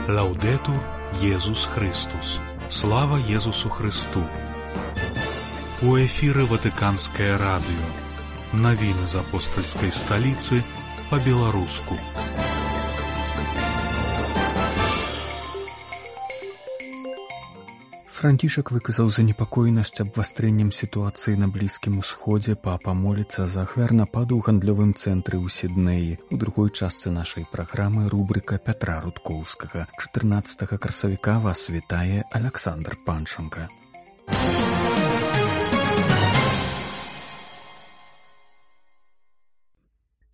Лаўдэтур Езус Христус. Слава Езусу Христу. У эфіры Ватыканскае радыё. Навіны з апостальскай сталіцы па-беларуску. Францішак выказаў занепакоенасць абвастрэннем сітуацыі на Блізкім Усходзе. Папа моліцца за ахвяр нападу ў гандлёвым цэнтры ў Сіднеі. У другой частцы нашай праграмы рубрыка Пятра Рудкоўскага. 14 красавіка вас вітае Аляксандр Панченка.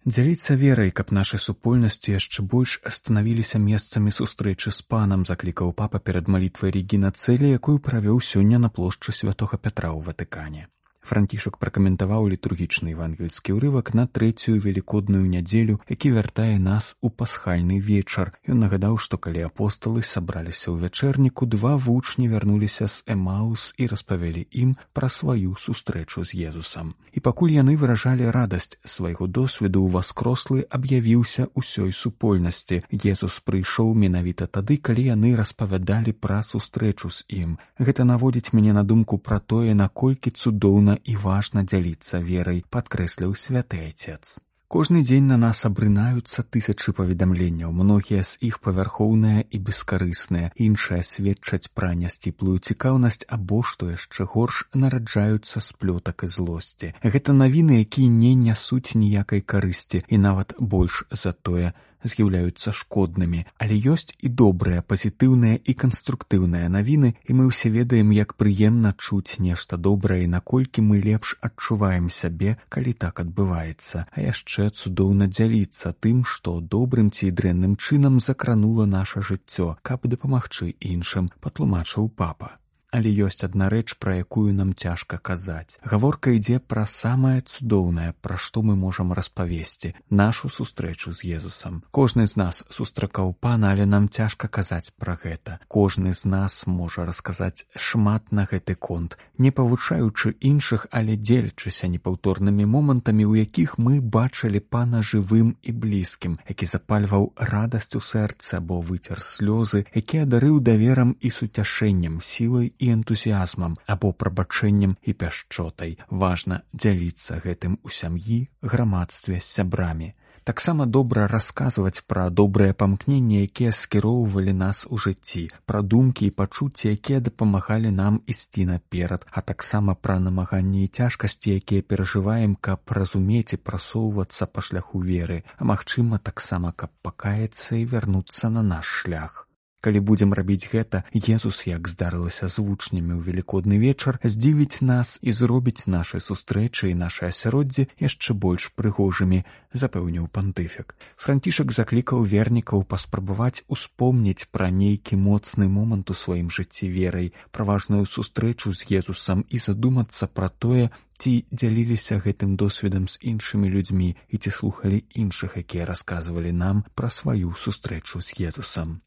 Дзяліцца верай, каб нашай супольнасці яшчэ больш станавіліся месцамі сустрэчы з панам, заклікаў папа перад малітвай Регіна Цэлі, якую правёў сёння на плошчы Святога Пятра ў Ватыкане. Францішак пракаментаваў літургічны евангельскі ўрывак на трэцюю велікодную нядзелю, які вяртае нас у пасхальны вечар. Ён нагадаў, што калі апосталы сабраліся ў вячэрніку, два вучні вярнуліся з Эмаус і распавялі ім пра сваю сустрэчу з Езусам. І пакуль яны выражалі радасць свайго досведу, ўваскрослы аб'явіўся ўсёй супольнасці. Езус прыйшоў менавіта тады, калі яны распавядалі пра сустрэчу з ім. Гэта наводзіць мяне на думку пра тое, наколькі цудоўна і важна дзяліцца верай, падкрэсліў святы Айцец. Кожны дзень на нас абрынаюцца тысячы паведамленняў, многія з іх павярхоўныя і бескарысныя, іншыя сведчаць пра нясціплую цікаўнасць або, што яшчэ горш, нараджаюцца з плётак і злосці. Гэта навіны, якія не нясуць ніякай карысці і нават больш за тое, з'яўляюцца шкоднымі, але ёсць і добрыя, пазітыўныя і канструктыўныя навіны, і мы ўсе ведаем, як прыемна чуць нешта добрае і наколькі мы лепш адчуваем сябе, калі так адбываецца. А яшчэ цудоўна дзяліцца тым, што добрым ці дрэнным чынам закранула наша жыццё, каб дапамагчы іншым, патлумачыў папа. Але ёсць адна рэч, пра якую нам цяжка казаць. Гаворка ідзе пра самае цудоўнае, пра што мы можам распавесці, нашу сустрэчу з Езусам. Кожны з нас сустракаў пана, але нам цяжка казаць пра гэта. Кожны з нас можа расказаць шмат на гэты конт, не павучаючы іншых, але дзелячыся непаўторнымі момантамі, у якіх мы бачылі пана жывым і блізкім, які запальваў радасць у сэрцы або выцер слёзы, які адарыў даверам і суцяшэннем, сілай і энтузіазмам або прабачэннем і пяшчотай. Важна дзяліцца гэтым у сям'і, грамадстве, з сябрамі. Таксама добра расказваць пра добрыя памкненні, якія скіроўвалі нас у жыцці, пра думкі і пачуцці, якія дапамагалі нам ісці наперад, а таксама пра намаганні і цяжкасці, якія перажываем, каб разумець і прасоўвацца па шляху веры, а магчыма таксама, каб пакаяцца і вярнуцца на наш шлях. Калі будзем рабіць гэта, Езус, як здарылася з вучнямі ў велікодны вечар, здзівіць нас і зробіць нашы сустрэчы і нашы асяроддзі яшчэ больш прыгожымі, запэўніў пантыфік. Францішак заклікаў вернікаў паспрабаваць успомніць пра нейкі моцны момант у сваім жыцці верай, пра важную сустрэчу з Езусам і задумацца пра тое, ці дзяліліся гэтым досведам з іншымі людзьмі і ці слухалі іншых, якія расказвалі нам пра сваю сустрэчу з Езусам.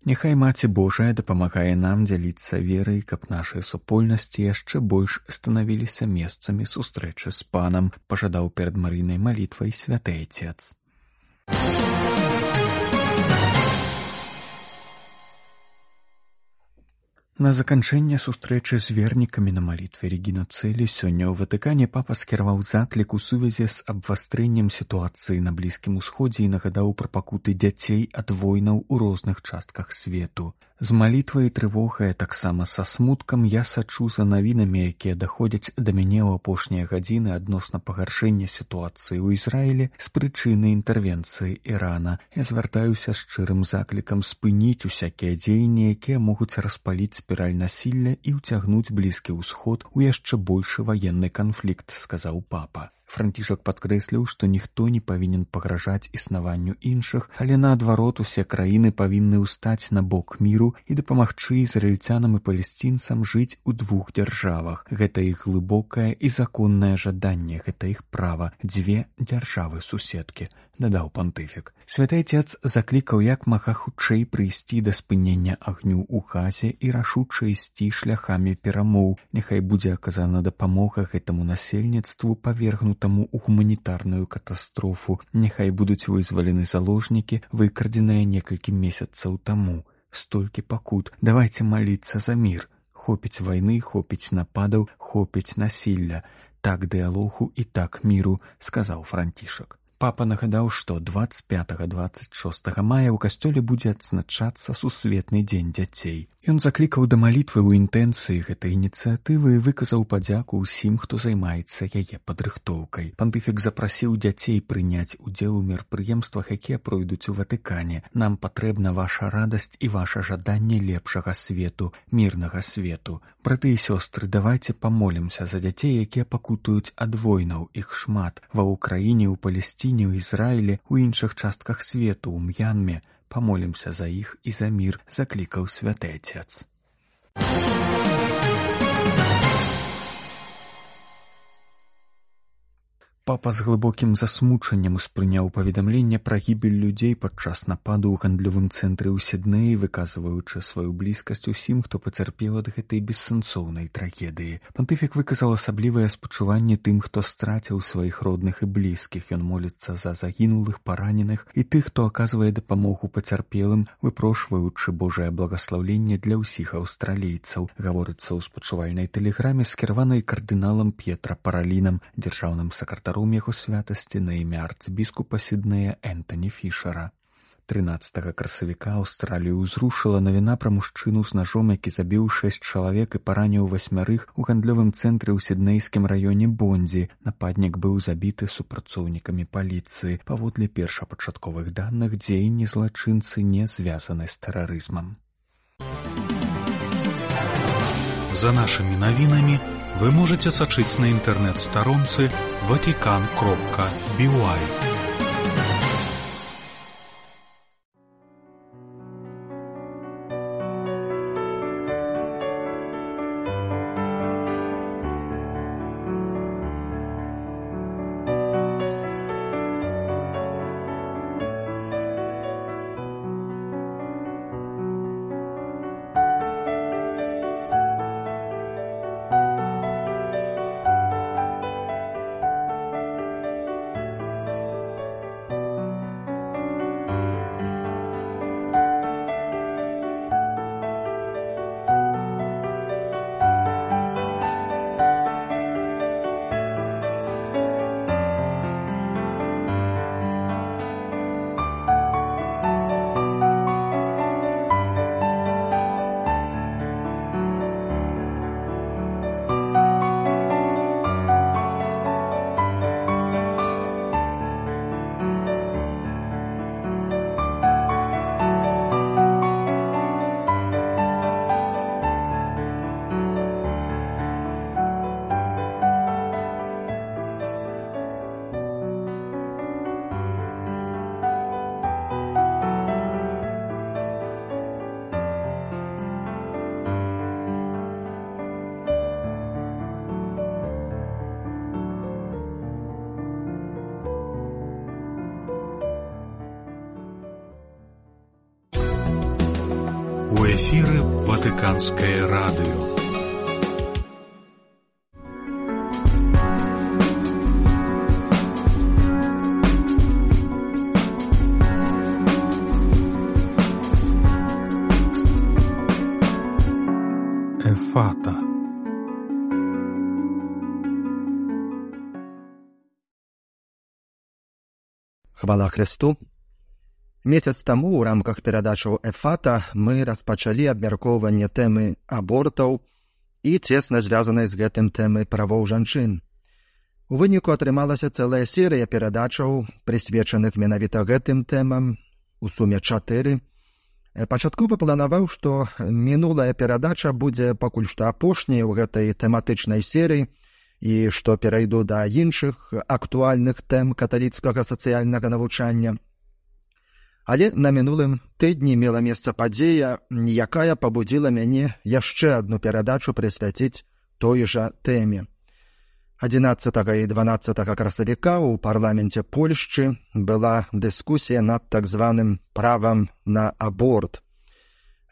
Няхай Маці Божая дапамагае нам дзяліцца верай, каб нашыя супольнасці яшчэ больш станавіліся месцамі сустрэчы з панам, пажадаў перад Марыйнай малітвай святы Айцец. На заканчэнне сустрэчы з вернікамі на малітве Регіна Цэлі сёння ў Ватыкане папа скіраваў заклік у сувязі з абвастрэннем сітуацыі на Блізкім Усходзе і нагадаў пра пакуты дзяцей ад войнаў у розных частках свету. З малітвай і трывогай, таксама са смуткам я сачу за навінамі, якія даходзяць да мяне ў апошнія гадзіны адносна пагаршэння сітуацыі ў Ізраілі з прычыны інтэрвенцыі Ірана. Я звяртаюся з шчырым заклікам спыніць усякія дзеянні, якія могуць распаліць спіраль насілля і ўцягнуць Блізкі Ўсход у яшчэ большы ваенны канфлікт, сказаў папа. Францішак падкрэсліў, што ніхто не павінен пагражаць існаванню іншых, але наадварот усе краіны павінны ўстаць на бок міру і дапамагчы ізраільцянам і палесцінцам жыць у двух дзяржавах. Гэта іх глыбокае і законнае жаданне, гэта іх права, дзве дзяржавы-суседкі, дадаў пантыфік. Святы Айцец заклікаў як мага хутчэй прыйсці да спынення агню ў Газе і рашуча ісці шляхамі перамоў. Няхай будзе аказана дапамога гэтаму насельніцтву, павергнутаму ў гуманітарную катастрофу. Няхай будуць вызвалены заложнікі, выкрадзеныя некалькі месяцаў таму. столькі пакут. Давайте маліцца за мір. Хопіць вайны, хопіць нападаў, хопіць насілля. Так дыялогу і так міру, сказаў Францішак. Папа нагадаў, што 25-26 мая ў касцёле будзе адзначацца сусветны дзень дзяцей. Ён заклікаў да малітвы ў інтэнцыі гэтай ініцыятывы і выказаў падзяку ўсім, хто займаецца яе падрыхтоўкай. Пантыфік запрасіў дзяцей прыняць удзел у мерапрыемствах, якія пройдуць у Ватыкане. Нам патрэбна ваша радасць і ваша жаданне лепшага свету, мірнага свету. Браты і сёстры, давайце памолімся за дзяцей, якія пакутуюць ад войнаў. Іх шмат. Ва Ўкраіне, у Палесціне, у Ізраілі, у іншых частках свету, у М'янме. Памолімся за іх і за мір, заклікаў святы Отец. Папа з глыбокім засмучаннем успрыняў паведамленне пра гібель людзей падчас нападу ў гандлёвым цэнтры ў Сіднеі, выказваючы сваю блізкасць усім, хто пацярпеў ад гэтай бессэнсоўнай трагедыі. Пантыфік выказаў асаблівае спачуванне тым, хто страціў сваіх родных і блізкіх. Ён моліцца за загінулых, параненых і тых, хто аказвае дапамогу пацярпелым, выпрошваючы Божае благаслаўленне для ўсіх аўстралійцаў, гаворыцца ў спачувальнай тэлеграме, скіраванай кардыналам П'етра Паралінам, дзяржаўным сакратаром яго святасці на імя арцбіскупа Сіднея Энтані Фішера. 13 красавіка Аўстралію ўзрушыла навіна пра мужчыну з нажом, які забіў 6 чалавек і параніў 8 у гандлёвым цэнтры ў сіднейскім раёне Бонзі. Нападнік быў забіты супрацоўнікамі паліцыі. Паводле першапачатковых даных, дзеянні злачынцы не звязаны з тэрарызмам. За нашымі навінамі вы можете сачыць на інтэрнэт-старонцы vatican.by. У эфіры Ватыканскае радыё. Ефата. Хвала Христу! Месяц таму ў рамках перадачаў «Ефата» мы распачалі абмяркоўванне тэмы абортаў і цесна звязанай з гэтым тэмы правоў жанчын. У выніку атрымалася цэлая серыя перадачаў, прысвечаных менавіта гэтым тэмам, у суме 4. Пачаткова планаваў, што мінулая перадача будзе пакуль што апошняй у гэтай тэматычнай серыі і што перайду да іншых актуальных тэм каталіцкага сацыяльнага навучання. Але на мінулым тыдні мела месца падзея, якая пабудзіла мяне яшчэ адну перадачу прысвяціць той жа тэме. 11 і 12 красавіка ў парламенце Польшчы была дыскусія над так званым правам на аборт.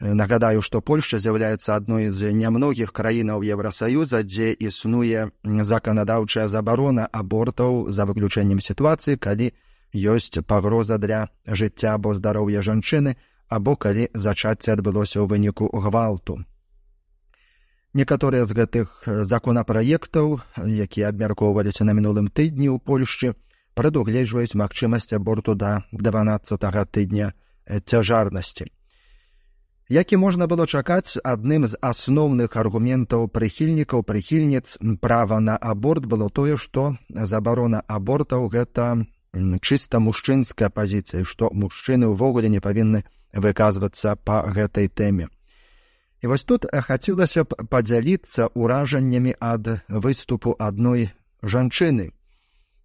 Нагадаю, што Польшча з'яўляецца адной з нямногіх краінаў Еўрасаюза, дзе існуе заканадаўчая забарона абортаў за выключэннем сітуацыі, калі ёсць пагроза для жыцця або здароўя жанчыны або калі зачацце адбылося ў выніку гвалту. Некаторыя з гэтых законапраектаў, якія абмяркоўваліся на мінулым тыдні ў Польшчы, прадугледжваюць магчымасць аборту да 12-го тыдня цяжарнасці. Як і можна было чакаць, адным з асноўных аргументаў прыхільніц права на аборт было тое, што забарона абортаў – гэта чыста мужчынская пазіцыя, што мужчыны ўвогуле не павінны выказвацца па гэтай тэме. І вось тут хацелася б падзяліцца ўражаннямі ад выступу адной жанчыны,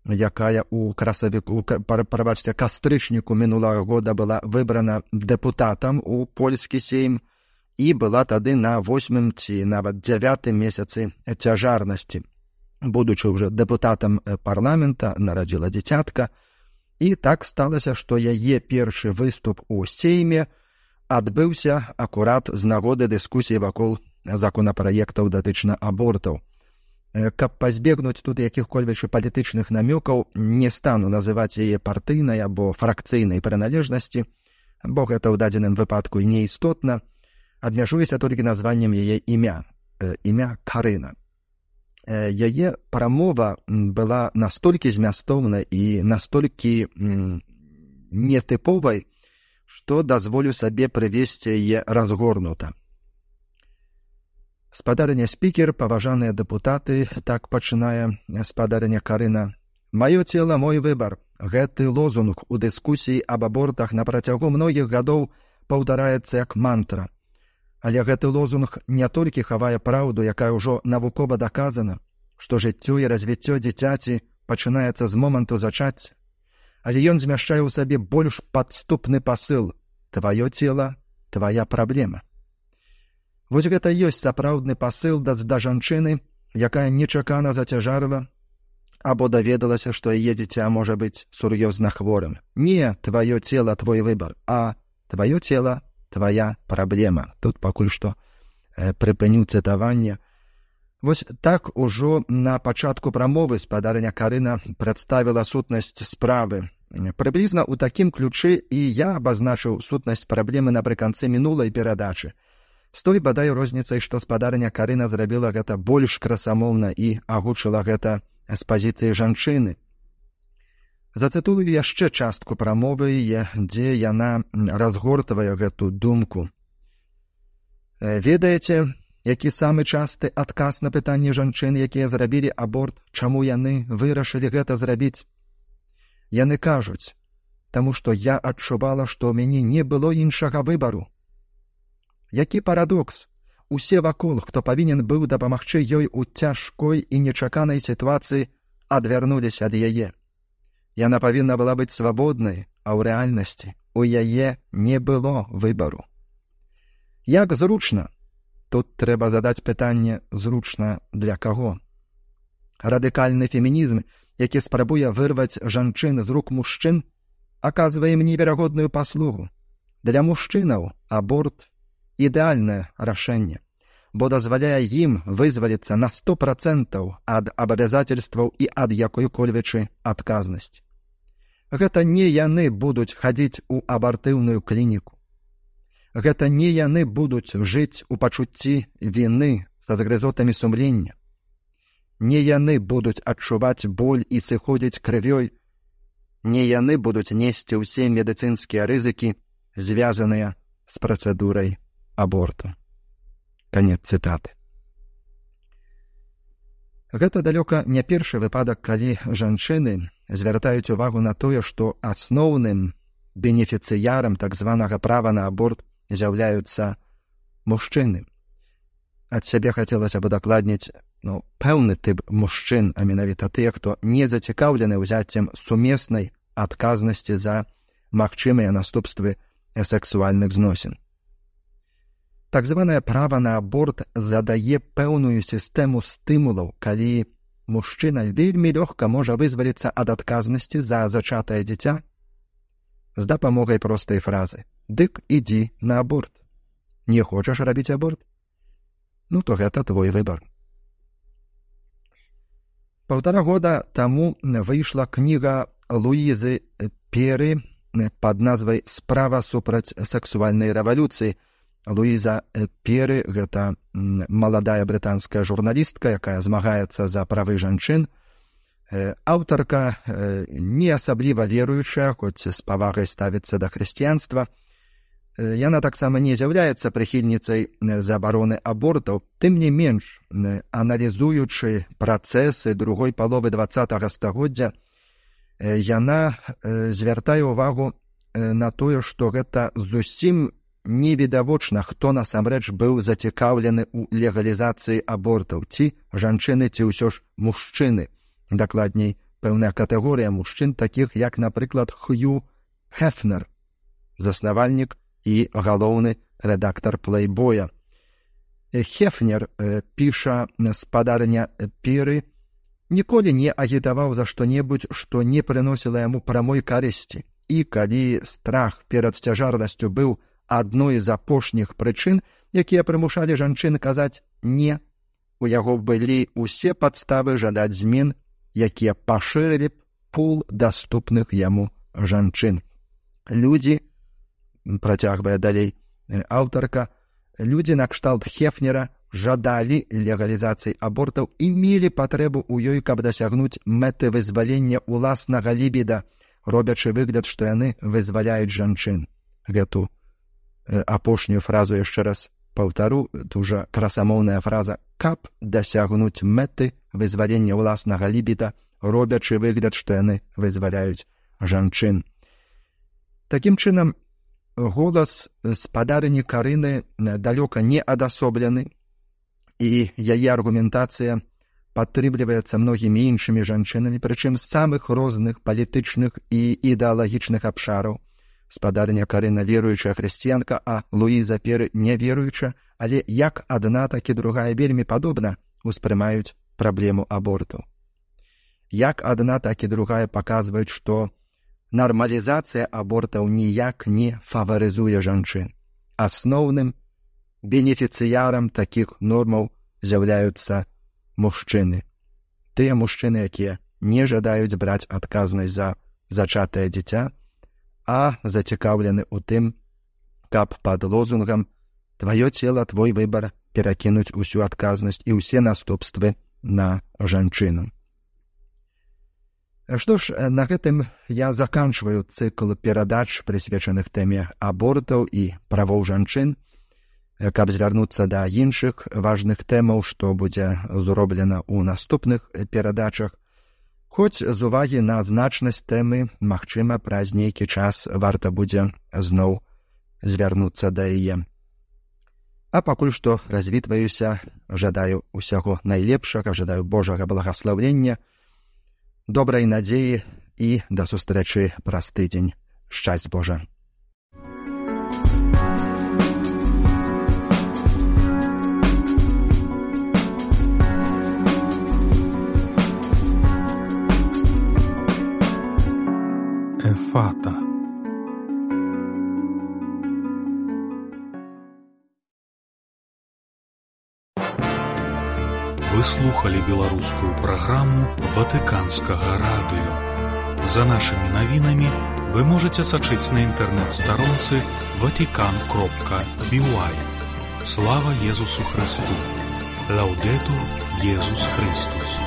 якая ў кастрычніку мінулага года была выбрана дэпутатам у польскі сейм і была тады на 8-м ці нават 9-м месяцы цяжарнасці. Будучы ўжо дэпутатам парламента, нарадзіла дзіцятка, і так сталася, што яе першы выступ у сейме адбыўся акурат з нагоды дыскусіі вакол законапраектаў датычна абортаў. Каб пазбегнуць тут якіх-кольвек палітычных намёкаў, не стану называць яе партыйнай або фракцыйнай прыналежнасці, бо гэта ў дадзеным выпадку і неістотна, абмяжуюся толькі названнем яе імя Карына. Яе прамова была настолькі змястоўнай і настолькі нетыповай, што дазволю сабе прывесці яе разгорнута. Спадарыня спікер, паважаныя дэпутаты, так пачынае спадарыня Карына. «Маё цела, мой выбар». Гэты лозунг у дыскусіі аб абортах на працягу многіх гадоў паўтараецца як мантра. Але гэты лозунг не толькі хавае праўду, якая ўжо навукова даказана, што жыццё і развіццё дзіцяці пачынаецца з моманту зачацця, але ён змяшчае ў сабе больш падступны пасыл «Тваё цела, твая праблема». Вось гэта ёсць сапраўдны пасыл да жанчыны, якая нечакана зацяжарыла або даведалася, што яе дзіця можа быць сур'ёзна хворым. Не «тваё цела, твой выбар», а «тваё цела, твая праблема». Тут пакуль што прыпыню цытаванне. Вось так ужо на пачатку прамовы спадарыня Карына прадставіла сутнасць справы. Прыблізна ў такім ключы і я абазначыў сутнасць праблемы напрыканцы мінулай перадачы. З той бадай розніцай, што спадарыня Карына зрабіла гэта больш красамоўна і агучыла гэта з пазіцыі жанчыны. Зацытую яшчэ частку прамовы, дзе яна разгортвае гэту думку. Ведаеце, які самы часты адказ на пытанні жанчын, якія зрабілі аборт, чаму яны вырашылі гэта зрабіць? Яны кажуць, таму што я адчувала, што ў мяне не было іншага выбару. Які парадокс! Усе вакол, хто павінен быў дапамагчы ёй у цяжкой і нечаканай сітуацыі, адвярнуліся ад яе. Яна павінна была быць свабоднай, а ў рэальнасці у яе не было выбару. Як зручна? Тут трэба задаць пытанне, зручна для каго? Радыкальны фемінізм, які спрабуе вырваць жанчын з рук мужчын, аказвае ім неверагодную паслугу. Для мужчынаў аборт ідэальнае рашэнне, бо дазваляе ім вызваліцца на 100% ад абавязательстваў і ад якой-кольвек адказнасці. Гэта не яны будуць хадзіць у абартыўную клініку. Гэта не яны будуць жыць у пачуцці віны са згрызотамі сумлення. Не яны будуць адчуваць боль і сыходзіць крывёй. Не яны будуць несці ўсе медыцынскія рызыкі, звязаныя з працэдурай аборту. Канец цытаты. Гэта далёка не першы выпадак, калі жанчыны звяртаюць увагу на тое, што асноўным бенефіцыярам так званага права на аборт з'яўляюцца мужчыны. Ад сябе хацелася б удакладніць пэўны тып мужчын, а менавіта тыя, хто не зацікаўлены ўзяццем сумеснай адказнасці за магчымыя наступствы сексуальных зносін. Так званае права на аборт задае пэўную сістэму стымулаў, калі мужчына вельмі лёгка можа вызваліцца ад адказнасці за зачатае дзіця з дапамогай простай фразы «Дык ідзі на аборт». Не хочаш рабіць аборт? Ну, то гэта твой выбар. 1,5 года таму выйшла кніга Луізы Перы пад назвай «Справа супраць сексуальнай рэвалюцыі». Луіза Пері – гэта маладая брытанская журналістка, якая змагаецца за правы жанчын. Аўтарка не асабліва веруючая, хоць з павагай ставіцца да хрысціянства. Яна таксама не з'яўляецца прыхільніцай забароны абортаў, тым не менш, аналізуючы працэсы другой паловы 20-го стагоддзя, яна звяртае ўвагу на тое, што гэта зусім невідавочна, хто насамрэч быў зацікаўлены ў легалізацыі абортаў, ці жанчыны, ці ўсё ж мужчыны. Дакладней, пэўная катэгорыя мужчын, такіх як, напрыклад, Хью Хефнер, заснавальнік і галоўны рэдактар «Плейбоя». Хефнер, піша спадарня Піры, ніколі не агітаваў за што-небудзь, што не прыносіла яму прамой карысці. І калі страх перад цяжарнасцю быў адной з апошніх прычын, якія прымушалі жанчын казаць «не», у яго былі ўсе падставы жадаць змен, якія пашырылі б пул даступных яму жанчын. Людзі, працягвае далей аўтарка, людзі накшталт Хефнера жадалі легалізацыі абортаў і мелі патрэбу ў ёй, каб дасягнуць мэты вызвалення ўласнага лібіда, робячы выгляд, што яны вызваляюць жанчын. Гэту апошнюю фразу яшчэ раз паўтару, дужа красамоўная фраза «каб дасягнуць мэты вызвалення ўласнага лібіда, робячы выгляд, што яны вызваляюць жанчын». Такім чынам, голас спадарыні Карыны далёка не адасоблены, і яе аргументацыя падтрымліваецца многімі іншымі жанчынамі, прычым з самых розных палітычных і ідэалагічных абшараў. Спадарня Карына веруючая хрысціянка, а Луіза Пері не веруюча, але як адна, так і другая вельмі падобна успрымаюць праблему абортаў. Як адна, так і другая паказваюць, што нармалізацыя абортаў ніяк не фаварызуе жанчын. Асноўным бенефіцыярам такіх нормаў з'яўляюцца мужчыны. Тыя мужчыны, якія не жадаюць браць адказнасць за зачатае дзіця, а зацікаўлены ў тым, каб пад лозунгам «Тваё цела, твой выбар» перакінуць усю адказнасць і ўсе наступствы на жанчыну. Што ж, на гэтым я заканчваю цыкл перадач, прысвечаных тэме абортаў і правоў жанчын, каб звярнуцца да іншых важных тэмаў, што будзе зроблена ў наступных перадачах. Хоць з увагі на значнасць тэмы, магчыма, праз нейкі час варта будзе зноў звярнуцца да яе. А пакуль што развітваюся, жадаю усяго найлепшага, жадаю Божага благаслаўлення, добрай надзеі і да сустрэчы праз тыдзень. Шчасць Божа! Эфата. Вы слухали беларускую праграму Ватыканскага радыё. За нашымі навінамі вы можаце сачыць на інтэрнэт-старонцы vatican.by. Слава Езусу Христу! Лаўдетур Езус Христус!